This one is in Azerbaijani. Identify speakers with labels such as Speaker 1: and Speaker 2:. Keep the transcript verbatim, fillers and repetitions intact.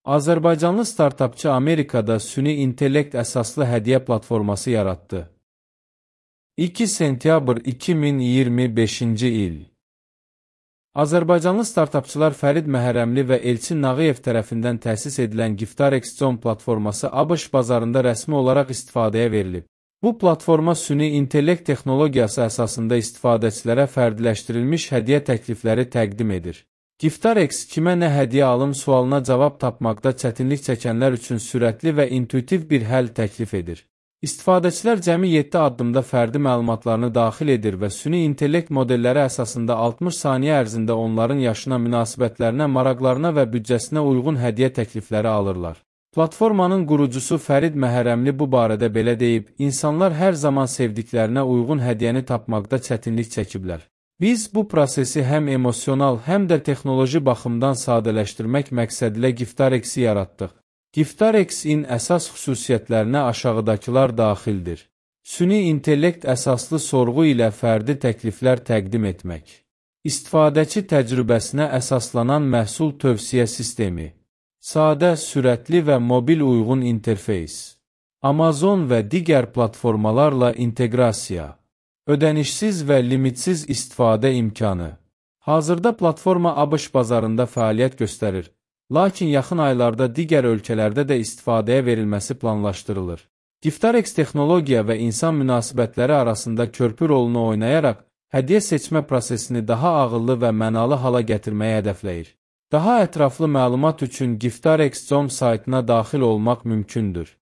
Speaker 1: Azərbaycanlı startapçı Amerikada süni intellekt əsaslı hədiyyə platforması yaratdı. iki sentyabr iki min iyirmi beşinci il. Azərbaycanlı startapçılar Fərid Məhərrəmli və Elçin Nağıyev tərəfindən təsis edilən Giftarex Zone platforması ABŞ bazarında rəsmi olaraq istifadəyə verilib. Bu platforma süni intellekt texnologiyası əsasında istifadəçilərə fərdiləşdirilmiş hədiyyə təklifləri təqdim edir. Giftarex kimə nə hədiyyə alım sualına cavab tapmaqda çətinlik çəkənlər üçün sürətli və intuitiv bir həll təklif edir. İstifadəçilər cəmi yeddi addımda fərdi məlumatlarını daxil edir və süni intellekt modelləri əsasında altmış saniyə ərzində onların yaşına, münasibətlərinə, maraqlarına və büdcəsinə uyğun hədiyyə təklifləri alırlar. Platformanın qurucusu Fərid Məhərrəmli bu barədə belə deyib, insanlar hər zaman sevdiklərinə uyğun hədiyyəni tapmaqda çətinlik çəkiblər. Biz bu prosesi həm emosional, həm də texnoloji baxımdan sadələşdirmək məqsədilə Giftarex'i yaratdıq. Giftarex-in əsas xüsusiyyətlərinə aşağıdakılar daxildir. Süni intellekt əsaslı sorğu ilə fərdi təkliflər təqdim etmək. İstifadəçi təcrübəsinə əsaslanan məhsul tövsiyə sistemi. Sadə, sürətli və mobil uyğun interfeys. Amazon və digər platformalarla inteqrasiya. Ödənişsiz və limitsiz istifadə imkanı. Hazırda platforma ABŞ bazarında fəaliyyət göstərir, lakin yaxın aylarda digər ölkələrdə də istifadəyə verilməsi planlaşdırılır. Giftarex texnologiya və insan münasibətləri arasında körpü rolunu oynayaraq, hədiyyə seçmə prosesini daha ağıllı və mənalı hala gətirməyi hədəfləyir. Daha ətraflı məlumat üçün Giftarex Zone saytına daxil olmaq mümkündür.